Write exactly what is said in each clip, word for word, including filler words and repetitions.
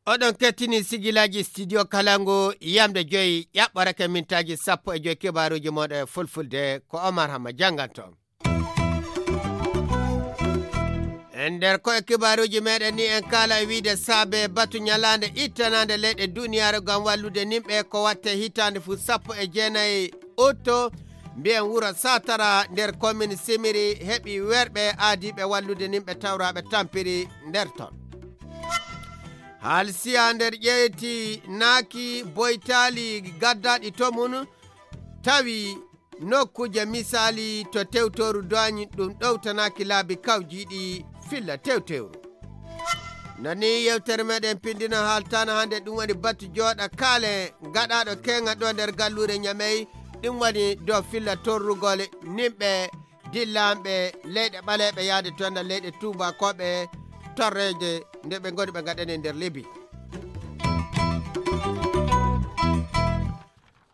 Oɗon kettini sigilaaji studio Kalangu, yamde joyi ƴaɓɓorake mintaaji sappo e joyi kibaaruuji mooɗon e fulfulde, ko Omar Hamma jannganto on. E nder ko e kibaaruuji meɗen ni, en kaala e wiide saabe batu ñalaande ittanaande leyɗe duniyaaru ngam wallude nimɓe ko watte hitaande fuu sappo e jeenayi utto, mbiyen wuro Satara nder komin Simiri heɓi werɓe aadiiɓe wallude nimɓe tawraaɓe tampiri nder ton. Haalsiya nder ƴeyti naaki boytaali gaddaaɗi to mum tawi nokkuuje misaali to tewtooru doagne ɗum ɗowtanaaki laabi kawjiiɗi filla tewtewru. No ni yewtere meɗen pindino haaltano hannde ɗum woni batu jooɗa kaale gaɗaaɗo keŋa ɗo nder galluure Ñamey, ɗum woni dow filla torrugol nimɓe dillanɓe leyɗe ɓaleeɓe yaade to nder leyɗe tuubakooɓe torreede nde ɓe ngoni ɓe ngaɗane nder Libi.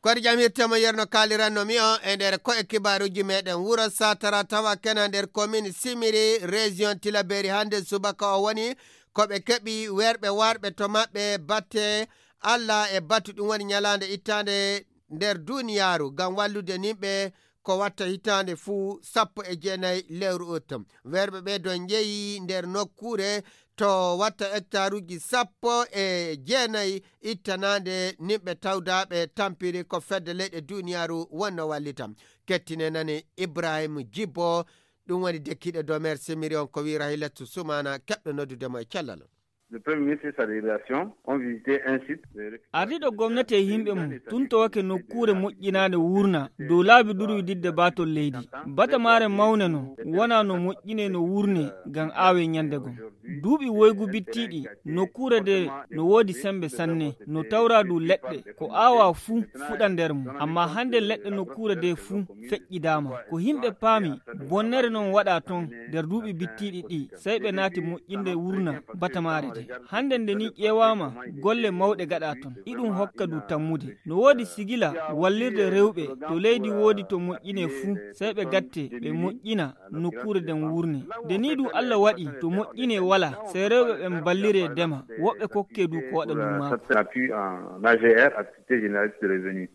Koɗi jam hirtema yerno kaaliranno mi o e nder ko e kibaaruuji meɗen wuro Satara tawa kena nder komin Simiri, région Tilaberi hannde subaka o woni ko ɓe keɓi werɓe warɓe to maɓɓe batte Allah e batu ɗum woni ñalaande ittaande nder duniyaaru ngam wallude nimɓe ko watta hitaande fuu sappo e jeenayi lewru ut. Werɓe ɓe don njeyi nder nokkuure to watta hectaruuji sappo e jeenayi ittanaande nimɓe tawdaaɓe tampiri ko fedde leyɗe duniyaaru wonno wallita. Kettine nane Ibrahim Jibbo, ɗum woni dekkiiɗo dow meer Semiri on ko wi Rahilatu Sumana keɓɗo noddude mo e cellal. Le Premier ministre et sa délégation ont visité un site de récupération. Ardiiɗo gomnati e yimɓe mum tuntowake nokkuure moƴƴinaande wuurna dow laabi durwididde baatol leydi. Batamaare mawne no wona no moƴƴine no wuurne ngam aawe ñande gom. Duuɓi woygu bittiiɗi nokkuure de no woodi sembe sanne, no tawra du leɗɗe ko aawa fuu fuɗa nder mum. Amma hannde leɗɗe nokkuure de fuu feƴƴidaama. Ko yimɓe paami bonnere non waɗa ton nder duuɓi bittiiɗi ɗi, sey ɓe naati moƴƴinde wurna batamaare de. Hannde nde ni ƴeewaama golle mawɗe gaɗa ton, iɗum hokka du tammude. No woodi sigila wallirde rewɓe to leydi woodi to moƴƴine fuu, sey ɓe gatte ɓe moƴƴina nokkuure den wurne. Nde ni du Allah waɗi to moƴƴine wala, sey rewɓe ɓen ballire dema, woɓɓe kokke du ko waɗa lummaako. Appui en A G R, activité génératrice de revenus.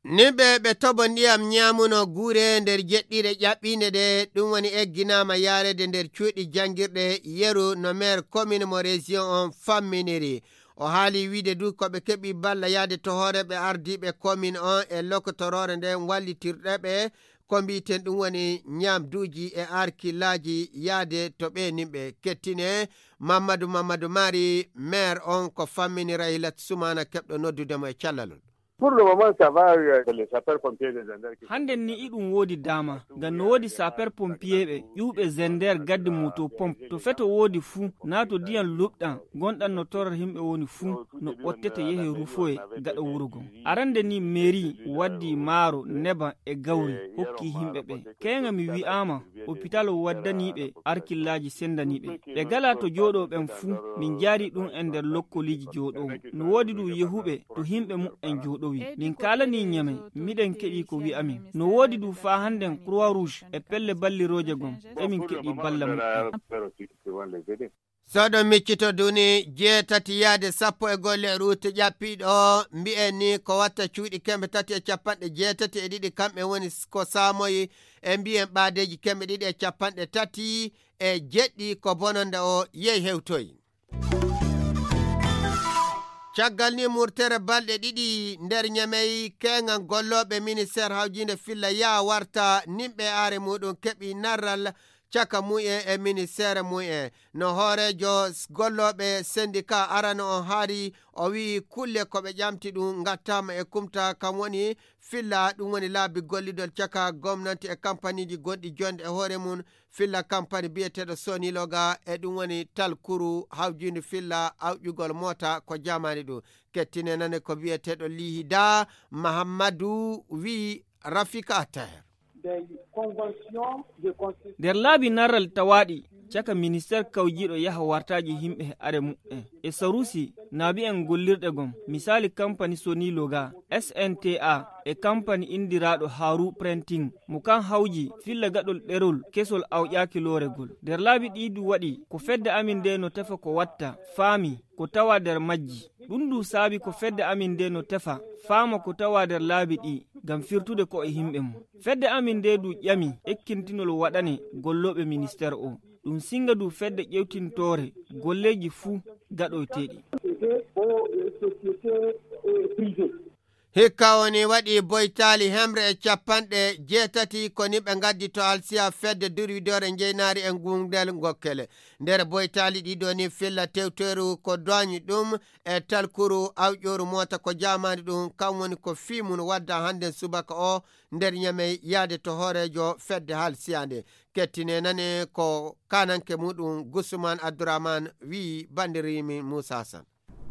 Nimɓe ɓe toɓo ndiyam ñaamuno guure nder jeɗɗire ƴaɓɓiinde ɗe, ɗum woni egginaama yaareede nder cuuɗi janngirɗe yeru no meer komin mo région on famminiri. O haali wiide du ko ɓe keɓi balla yaade to hooreeɓe ardiiɓe komin on e lokotoroore nden wallitirɗe ɓe ko mbiiten ɗum woni ñaamduuji e arkillaaji yaade to ɓe nimɓe kettine. Mamadou Mamadou Mari meer on ko fammini Rahilat Sumana keɓɗo noddude mo e callalol. Pour le moment, ça va, euh, les sapeurs pompiers, les gendarmes qui... Hannden ni iɗum woodi daama ngam no woodi sapeur pompier ɓe ƴuuɓe zender gaddi moto pompe to feto woodi fuu naa to diyan luɓɗan gonɗan no torra himɓe woni fuu no ɓottete yehe rufoye gaɗa wuro gon. Arande ni mairie waddi maaro neban e gawri hokki himɓe ɓe. Keeŋa mi wi'aama hôpital waddanii ɓe arkillaaji sendanii ɓe. Ɓe galaa to jooɗoo ɓen fuu min njaarii ɗum en nder lokkoliiji jooɗoowo. No woodi du yehuɓe to himɓe muɓɓen jooɗowi. Min kaalanii ñame miɗen keɗii ko wi'amin. No woodi du faa hannden Croix Rouge e pelle ballirooje gon emin keɗii balla muɓɓen. Soɗo miccito duni jeetati yaade sappo e golle ruute ƴappiiɗo mbi'en ni ko watta cuuɗi kemɓe tati e capanɗe jeetati e ɗiɗi kamɓe woni ko saamoyi e mbi'en ɓaadeeji kemɓe ɗiɗi e capanɗe tati e jeɗɗi ko bononda o yehi hewtoyi. Caggal ni murtere balɗe ɗiɗi nder ñamey keeŋan gollooɓe ministeer hawjiinde filla yaa warta nimɓe aare muɗum keɓi narral caka mu'en e ministeere mu'en. No hooreejo gollooɓe sendika arano on haari o wi'i kulle ko ɓe ƴamti ɗum ngattaama e kumta kam woni filla ɗum woni laabi gollidol caka gomnanti e kampaniiji gonɗi jonde e hoore mum filla kampani biyeteeɗo soniloga e ɗum woni talkuru hawjiindi filla awƴugol moota ko jamani ɗum. Kettine nane ko biyeteeɗo lihida mahammadu wi'i rafika taher. Nder laabi narral tawaaɗi caka ministeer kawjiiɗo yaha wartaaji yimɓe he are muɓɓen. E Sarusi, naabi en gollirɗe gom, misaali kampani Sony Loga, S N T A, e kampani inndiraaɗo Haru Printing, mo kan hawji filla gaɗol ɗerol kesol awƴaaki looregol. Nder laabi ɗii du waɗi, ko fedde amin nde no tefa ko watta, faami, ko tawa nder majji. Ɗum du saabi ko fedde amin nde no tefa, faama ko tawa nder laabi ɗii, ngam firtude ko e yimɓe mum. Fedde amin nde du ƴami ekkintinol waɗane gollooɓe ministeer o. Ɗum singa du fedde ƴewtintoore golleeji fuu gaɗoyteeɗi. Hikka woni waɗi boytaali hemre e capanɗe jeetati ko ni ɓe ngaddi to alsiya fedde durwidoore njeynaari e gungel ngokkele. Nder boytaali ɗiɗo ni filla tewteru ko doñi ɗum e talkuru awƴooru moota ko jaamaani ɗum, kam woni ko fii mum wadda hannden subaka o nder Ñamey yaade to hooreejo fedde haalsiyaande. Kettine nane ko kananke muɗum Gusman Abdourahmane wi'i bandirimi Moussa Hassan.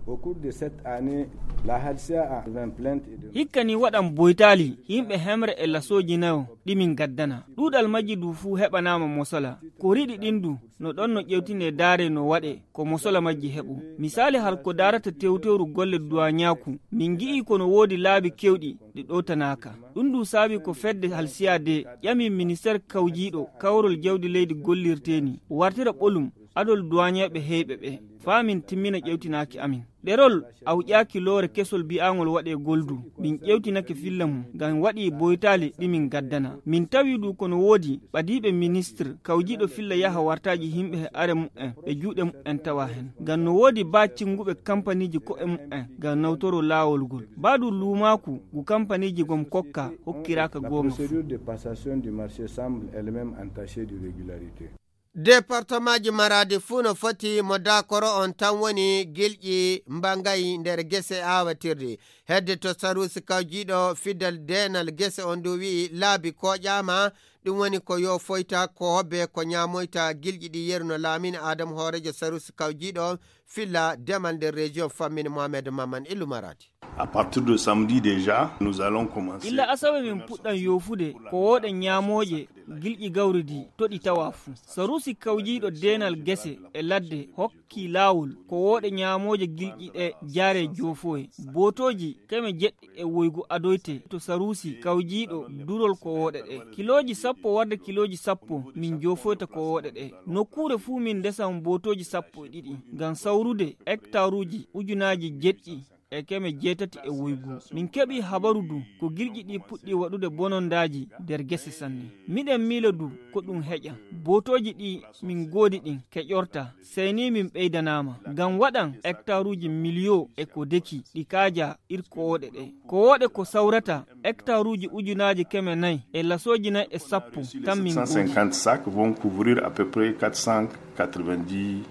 Au cours de cette année, la Halcia a vingt plaintes et de Hikka ni waɗan boytaali yimɓe hemre e lasooji nayo ɗi min gaddana. Ɗuuɗal majji du fuu heɓanaama mosola. Ko riɗi ɗin du no ɗon no ƴewtine daare no waɗe ko mosola majji heɓu. Misaali hal ko daarata tewtewru golle duwaañaaku, min ngi'i ko no woodi laabi kewɗi ɗi ɗowtanaaka. Ɗum du saabi ko fedde halsiya de ƴami ministeer kawjiiɗo kawrol jawdi leydi gollirteeni wartira ɓolum adol duwaañeeɓe heyɓe ɓe. Faa min timmina ƴewtinaaki amin. Ɗerol awƴaaki loore kesol bi'aangol waɗee goldu. Min ƴewtinake filla mum, ngam waɗii boytaali ɗi min gaddana. Min tawi du ko no woodi ɓadiiɓe ministir kawjiiɗo filla yaha wartaaji yimɓe he are mu'en, ɓe juuɗe mu'en tawa hen. Ngam no woodi baa cinnguɓe kampaniiji ko'e mu'en ngam nawtoro laawol ngol. Baa du luumaaku ngu kampaniiji gom kokka hokkiraaka La goonga fuu. Procédure de passation du marché semble elle-même entachée d'irrégularité. Departemaaji maraade fuu no foti mo daakoro on tan woni gilƴi mbangayi nder gese aawatirɗi. Hedde to saruusi kawjiiɗo fidal deenal gese on du wi'i laabi kooƴaama, ɗum woni ko yo foyta ko hobbe ko ñaamoyta gilƴi ɗi yeru no laamini Aadam hooreejo saruusi kawjiiɗo filla demal nder région fammin Mohamed Maman Illu Maraadi. À partir de samedi déjà, nous allons commencer. Illa asawe min puɗɗan yoofude ko wooɗe ñaamooje gilƴi gawri di to ɗi tawa fuu. Saruusi kawjiiɗo deenal gese e ladde hokki laawol ko wooɗe ñaamooje gilƴi ɗe jaare joofoye. Bootooji keme jeɗɗi e woygu adoyte to saruusi kawjiiɗo durol ko wooɗe ɗe. Kilooji sappo warde kilooji sappo min joofoyta ko wooɗe ɗe. Nokkuure fuu min ndesan bootooji sappo e ɗiɗi ngam sawrude hektaruuji ujunaaji jeɗɗi e keme jeetati e woygu. Min keɓi habaru du ko gilƴi ɗi puɗɗi waɗude bonondaaji nder gese sanne. Miɗen miila du ko ɗum heƴa. Bootooji ɗi min ngoodi ɗin keƴorta, sey ni min ɓeydanaama. Ngam waɗan hektaruuji miliyo e ko deki ɗi kaaja ir kowooɗe ɗe. Kowooɗe ko sawrata hektaruuji ujunaaji keme nayi e lasooji nayi e sappo tan min ngoodi. Sept cent cinquante sacs vont couvrir à peu près quatre cent quatre-vingt-dix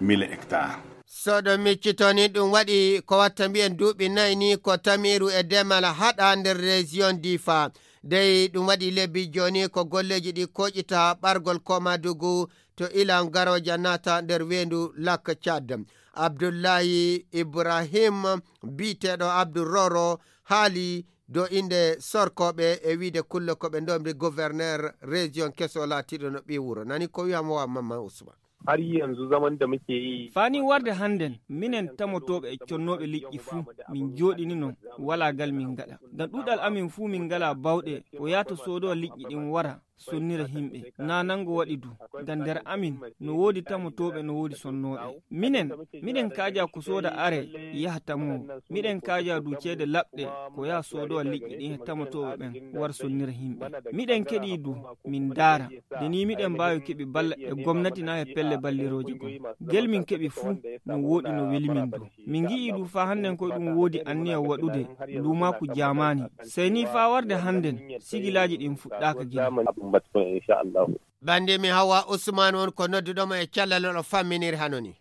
mille hectares. So ɗo miccitoni ɗum waɗi ko watta mbiyen duuɓi nayi ni ko tamiru e demal haɗa nder région Difa. Dey ɗum waɗi lebbi jooni ko golleeji ɗi koƴita ɓargol Komadugu to ilan garooja naata nder weendu Lac Tchad. Abdullahi Ibrahim biyeteeɗo Abdou Roro haali dow innde sorkooɓe e wiide kulle ko ɓe ndomri gouverneur région keso laatiiɗo no ɓii wuro. Nani ko wi'a mo wa Mamman Ousmane. Har yanzu zaman da muke yi. Fani warde hannden, minen tamotooɓe e connooɓe liƴƴi fuu, min jooɗini non, walaa gal min ngaɗa. Ngam ɗuuɗal amin fuu min ngalaa bawɗe, ko yahto soodowa liƴƴi ɗin wara, sonnira yimɓe. Naa nango waɗi du, ngam nder amin, no woodi tamotooɓe, no woodi sonnooɓe. Minen, miɗen kaaja ko sooda are, yaha tamoowo. Miɗen kaaja du ceede laɓɗe, ko yaha soodowa liƴƴi ɗin e tamotooɓe ɓen, wara sonnira yimɓe. Miɗen keɗi du, min ndaara. Nde ni miɗen mbaawi keɓi balla e gomnati na e pelle ballirooje gom. Gel min keɓi fuu, no wooɗi no weli min du. Min ngi'i du faa hannden koy ɗum woodi anniya waɗude luumaaku jaamaani. Sey ni faa warde hannden, sigilaaji ɗin fuɗɗaaka gila. Bandi mi Hawa Usman won ko nodduɗo mo e cellal o famminiri hano ni.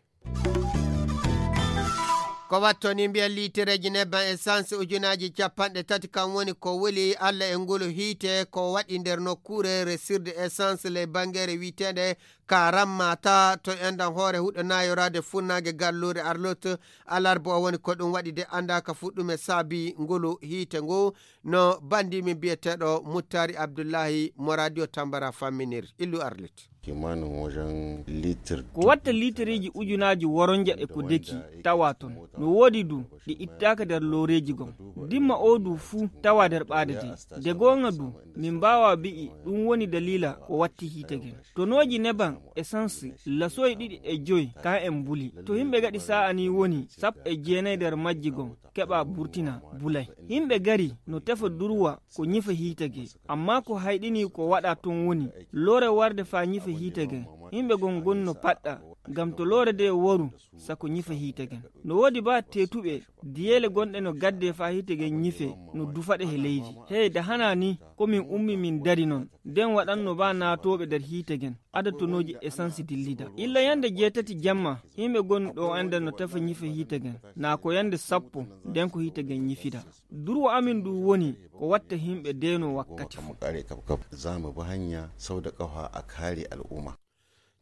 Ko wattoni mbiyen liitireeji nebban essence ujunaaji capanɗe tati kan woni ko wuli Alla e ngulu hiite ko waɗi nder nokkuure resirde essence ley bangeere wi'eteende Karamma ta to enɗan hoore huɗo naayoraade funnaange galluure Arlot alarba o woni ko ɗum waɗi de anndaaka fuɗɗume saabi ngulu hiite ngu no bandi min biyeteeɗo Muttari Abdullahi mo radio Tambara famminir. Illu Arlit. Kimanin wajen litir. Ko watta litiriji ujunaaji woronja e ko deki tawa ton. No woodi du ɗi ittaaka nder looreeji gon. Dimma o du fuu tawa nder ɓaade de. De goonga du, min mbaawa bi'i ɗum woni daliila ko watti hiite gen. Tonooji neban essence lasoyi ɗiɗi e joy kan en mbuli. To himɓe gaɗi sa'a ni woni sappo e jeenayi nder majji gon keɓa burtina bulay. Himɓe gari no tefa durwa ko ñifa hiite ge. Amma ko hayɗini ko waɗa ton woni loore warde faa ñifa hiite gen. Himɓe gon gon no paɗɗa ngam to loore de waru sako ñifa hiite gen. No woodi ba teetuɓe diyeele gonɗe no gadde faa hiite gen ñife no dufaɗe he leydi. Hey, da hana ni ko min ummi min dari non. Den waɗanno ba naatooɓe nder hiite gen. Ada tonooji essence dillida. Illa yande jeetati jamma, himɓe gon ɗo anda no tefa ñife hiite gen. Naa ko yande sappo, den ko hiite gen ñifida. Durwa amin du woni ko watta himɓe deno wakkati fu. Za mu bi hanya sau da ƙafa a kare al'umma.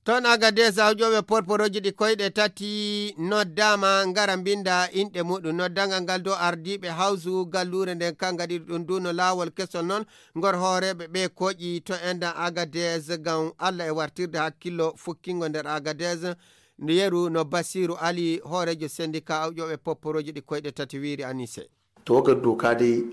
Toon Agadez, awƴooɓe porporooji ɗi koyɗe tati noddaama ngara mbinnda inɗe muɗum. Noddangal ngal dow ardiiɓe hawsu galluure nden, kan ngaɗiri ɗum du no laawol kesol noon ngor hooreeɓe ɓe kooƴi to enɗan Agadez ngam Alla e wartirde hakkillo fukkingo nder Agadez. Nde yeru no Basiiru Ali, hooreejo sendika awƴooɓe porporooji ɗi koyɗe tati, wiiri Anise. Tawagar doka dai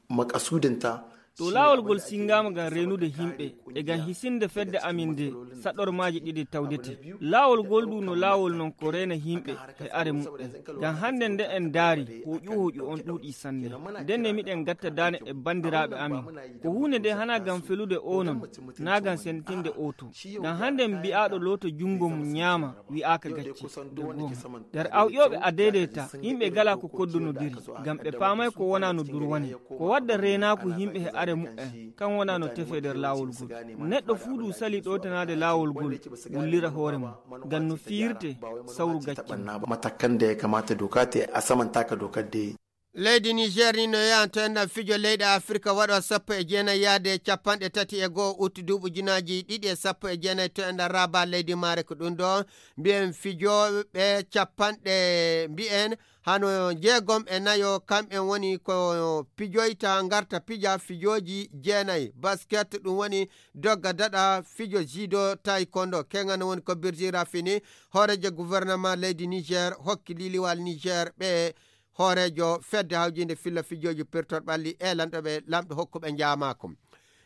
makasudinta To laawol ngol singaama ngam reenude himɓe e ngam hisinde fedde amin nde saɗormaaji ɗiɗi tawdete. Laawol ngol du no laawol non ko reena himɓe e are muɓɓen. Ngam hannde nde en ndaari, hoƴu hoƴu on ɗuuɗi sanne. Ndenne miɗen gatta daane e banndiraaɓe amin. Ko huunde nde hana ngam felude o non, naa ngam sentinde o to. Ngam hannde mbi'aaɗo looto junngo mum ñaama, wi'aaka gacce. Dow goonga. Nder awƴooɓe a deydeyta, yimɓe gala ko koddonodiri, ngam ɓe paamay ko wona no durwane. Ko wadda reenaaku yimɓe he are muɓɓen, kan wona no tefe nder laawol ngol. Neɗɗo fuu du sali ɗowtanaade laawol ngol, wullira hoore mum, ngam no fiirte sawru gacce mum. Matakan da ya kamata doka ta yi, a samanta ka dokar da ya yi. Leydi Niger ni no yahanto enɗan fijo leyɗe Afirka waɗo sappo e jeenayi yaade capanɗe tati e go'o ut duuɓi ujunaaji ɗiɗi e sappo e jeenayi to enɗan Rabat leydi maare ko ɗum ɗo mbiyen fijooɓe capanɗe mbiyen hano jeegom e nayo kamɓen woni ko pijoyta ngarta pija fijooji jeenayi basket ɗum woni dogga daɗa fijo judo taekwondo keŋan woni ko Birjira fini hooreejo gouvernement leydi Niger hokki liliwal Niger ɓe hooreejo fedde hawjinde filla fijooji pirtol ɓalli e lanɗo ɓe lamɗo hokkuɓe njaamaako.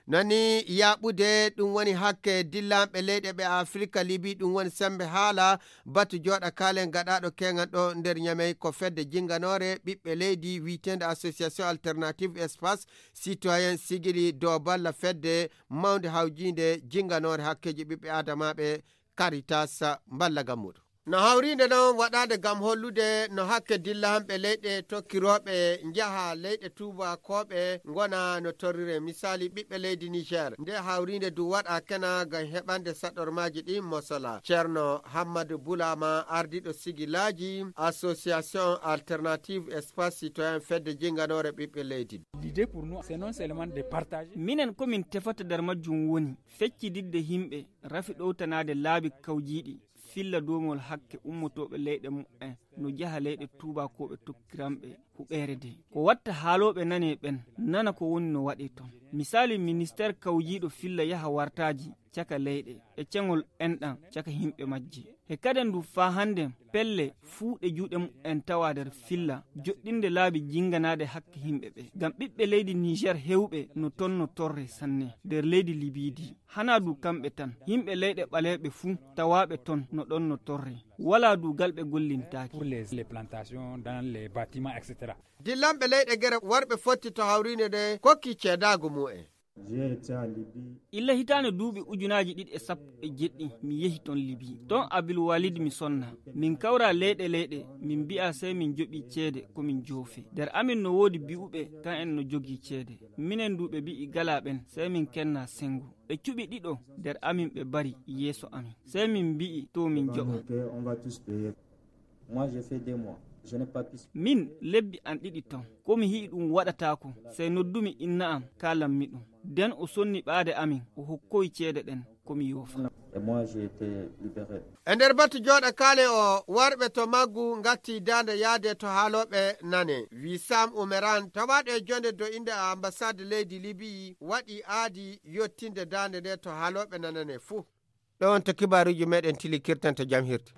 Nani yaaɓude ɗum woni hakke dillanɓe leyɗe ɓe Afirka Libi ɗum woni sembe haala batu jooɗa kaalen gaɗaaɗo keŋan ɗo nder Ñamey ko fedde jinnganoore ɓiɓɓe leydi wiyeteende Association Alternative Espace Citoyen sigili dow balla fedde mawnde hawjinde jinnganoore hakkeeji ɓiɓɓe aadamaaɓe Caritas mballa gam muɗum. No hawriinde noon waɗaade ngam hollude no hakke dilla hamɓe leyɗe tokkirooɓe njaha leyɗe tuubakooɓe ngona no torrire. Misaali ɓiɓɓe leydi Niger. Nde hawriinde du waɗa kena ngam heɓande saɗormaaji ɗi mosola. Ceerno Hammadu Bulama ardiiɗo sigilaaji Association Alternative Espace Citoyen fedde jinnganoore ɓiɓɓe leydi. L'idée pour nous, c'est non seulement de partager. Minen ko min tefata nder majjum woni feccididde yimɓe rafi ɗowtanaade laabi kawjiiɗi filla doomol hakke ummotooɓe leyɗe muɓɓen no jaha leyɗe tuubakooɓe tokkiranɓe huɓeere de. Ko watta haalooɓe nane ɓen nana ko woni no waɗee ton. Misaali ministeer kawjiiɗo filla yaha wartaaji caka leyɗe e ceŋol enɗan caka yimɓe majje. E kaden du faa hannden pelle fuu ɗe juuɗe muɓɓen tawa nder filla joɗɗinde laabi jinnganaade hakke yimɓe ɓe. Ngam ɓiɓɓe leydi Niger heewɓe no ton no torre sanne nder leydi Libiidi. Hanaa du kamɓe tan, yimɓe leyɗe ɓaleeɓe fuu tawaaɓe ton no ɗon no torre. Walaa du gal ɓe gollintaake. Pour les, les plantations, dans les bâtiments, et cetera. Dillanɓe leyɗe gere warɓe fotti to hawriinde nde kokki ceedaagu mu'en. Illa hitaande duuɓi ujunaaji ɗiɗi e sappo e jeɗɗi mi yehi ton Libi. Ton Abil Walid mi sonna. Min kawra leyɗe leyɗe, min mbi'a sey min joɓi ceede ko min joofe. Nder amin no woodi bi'uɓe kan en no jogii ceede. Minen du ɓe bi'i gala ɓen, sey min kenna sengo. Ɓe cuɓi ɗiɗo nder amin ɓe bari yeeso amin. Sey min mbi'i to min joɓa. Moi, j'ai fait deux mois. Je n'ai pas pu. Min lebbi an ɗiɗi ton. Ko mi hi'i ɗum waɗataako. Sey noddumi inna am, kaalanmi ɗum. Den o sonni ɓaade amin, o hokkoyi ceede ɗen, ko mi yoofa. Et moi, j'ai été libéré. E nder batu jooɗa kaale o, warɓe to maggu ngatti daande yaade to haalooɓe nane. Wisam Umeran, tawaaɗo e jonde do innde ambassade leydi Libi, waɗi aadi yottinde daande nde to haalooɓe nane ne fuu. Ɗo wonta kibaaruuji meɗen tili kirtanto jam hirti.